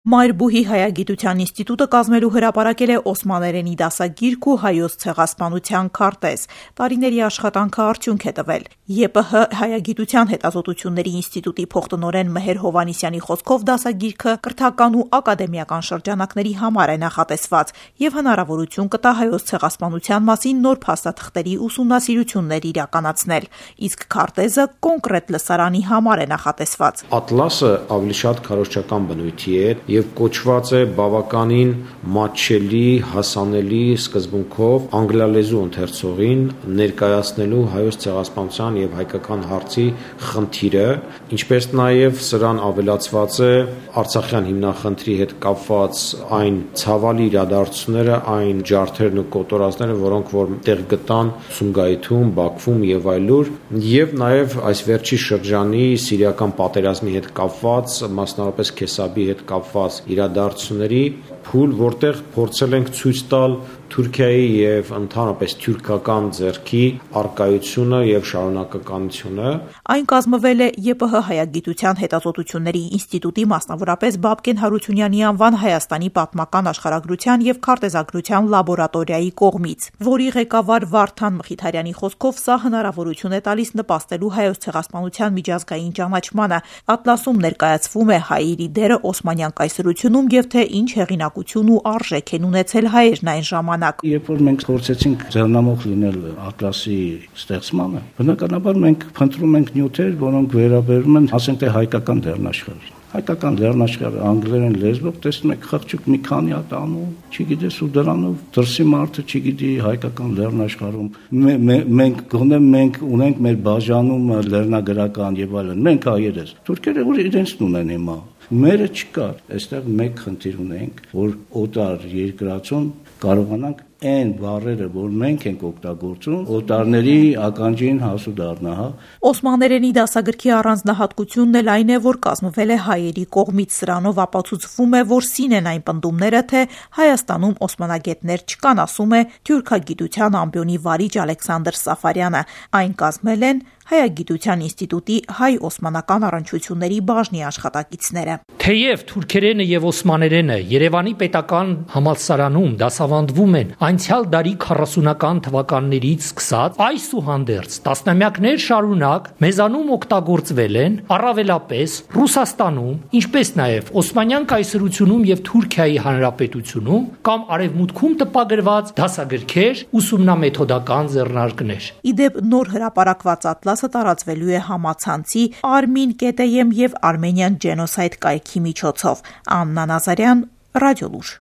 Մայր հայագիտության ինստիտուտը կազմելու հրապարակել է օսմաներենի դասագիրք ու հայոց ցեղասպանության քարտեզ։ Տարիների աշխատանքը արդյունք է տվել։ ԵՊՀ հայագիտության հետազոտությունների ինստիտուտի փոխտնօրեն Մհեր Հովհաննիսյանի խոսքով դասագիրքը կրթական ու ակադեմիական շրջանակների համար է նախատեսված եւ հնարավորություն կտա հայոց ցեղասպանության մասին նոր փաստաթղթերի ուսումնասիրություններ իրականացնել։ Իսկ քարտեզը կոնկրետ լսարանի համար է նախատեսված։ Ատլասը ավելի շատ քարոզչական բնույթի է եւ կոչված է բավականին մատչելի, հասանելի սկզբունքով անգլալեզու ընթերցողին ներկայացնելու հայոց ցեղասպանության եւ հայկական հարցի խնդիրը, ինչպես նաեւ սրան ավելացված է արցախյան հիմնախնդրի հետ կապված այն ցավալի իրադարձությունները, այն ջարդերն ու կոտորածները, որոնք որ տեղ գտան Սումգայիթում, Բաքվում եւ այլուր, եւ նաեւ այս վերջի շրջանի սիրիական պատերազմի հետ կապված, մասնավորապես Քեսաբի հետ կապված իրադարձությունների փուլ, որտեղ փորձել ենք ցույց տալ Թուրքիայի եւ ընդհանրապես թուրքական ձեռքի առկայությունը եւ շարունակականությունը։ Այն կազմվել է ԵՊՀ հայագիտության հետազոտությունների ինստիտուտի, մասնավորապես Բաբկեն Հարությունյանի անվան Հայաստանի պատմական աշխարհագրության եւ քարտեզագրության լաբորատորիայի կողմից, որի ղեկավար Վարդան Մխիթարյանի խոսքով սա հնարավորություն է տալիս նպաստելու հայոց ցեղասպանության միջազգային ճանաչմանը։ Ատլասում ներկայացվում է հայերի դերը օսմանյան կայսրությունում եւ թե ինչ հեղինակություն ու արժեք են ունեցել հայերն այն ժամանակ։ Երբ որ մենք փորձեցինք ձեռնամուխ լինել ատլասի ստեղծմանը, բնականաբար մենք փնտրում ենք նյութեր, որոնք վերաբերում են, ասենք թե հայկական լեռնաշխարհին։ Հայկական լեռնաշխարհը անգլերեն լեզվով տեսնում եք խղճուկ մի քանի հատ անում, չգիտես ու դրանով դրսի մարդը չգիտի հայկական լեռնաշխարհում մենք ունենք մեր բաժանումը լեռնագրական եւ այլն, մենք հայերս, թուրքերը որ իրենցն ունեն հիմա, մերը չկար, այստեղ մեկ խնդիր ունենք, որ օտար երկրացում կարողանանք այն բառերը, որ մենք ենք օգտագործում, օտարների ականջին հասու դառնա, Օսմաներենի դասագրքի առանձնահատկությունն էլ այն է, որ կազմվել է հայերի կողմից, սրանով ապացուցվում է, որ սին են այն պնդումները, թե Հայաստանում օսմանագետներ չկան, ասում է թյուրքագիտության ամբիոնի վարիչ Ալեքսանդր Սաֆարյանը։ Այն կազմել են Հայագիտության ինստիտուտի հայ-օսմանական առնչությունների բաժնի աշխատակիցները։ Թեև թուրքերենը եւ օսմաներենը Երևանի պետական համալսարանում դասավանդվում են անցյալ դարի 40-ական թվականներից սկսած, այսուհանդերձ տասնամյակներ շարունակ մեզանում օգտագործվել են առավելապես Ռուսաստանում, ինչպես նաեւ Օսմանյան կայսրությունում եւ Թուրքիայի հանրապետությունում կամ Արևմուտքում տպագրված դասագրքեր, ուսումնամեթոդական ձեռնարկներ։ Իդեպ նոր հրապարակված ատլասը տարածվելու է համացանցի Armin.am եւ Armenian Genocide կայքի միջոցով։ Աննա Նազարյան, Ռադիոլուր։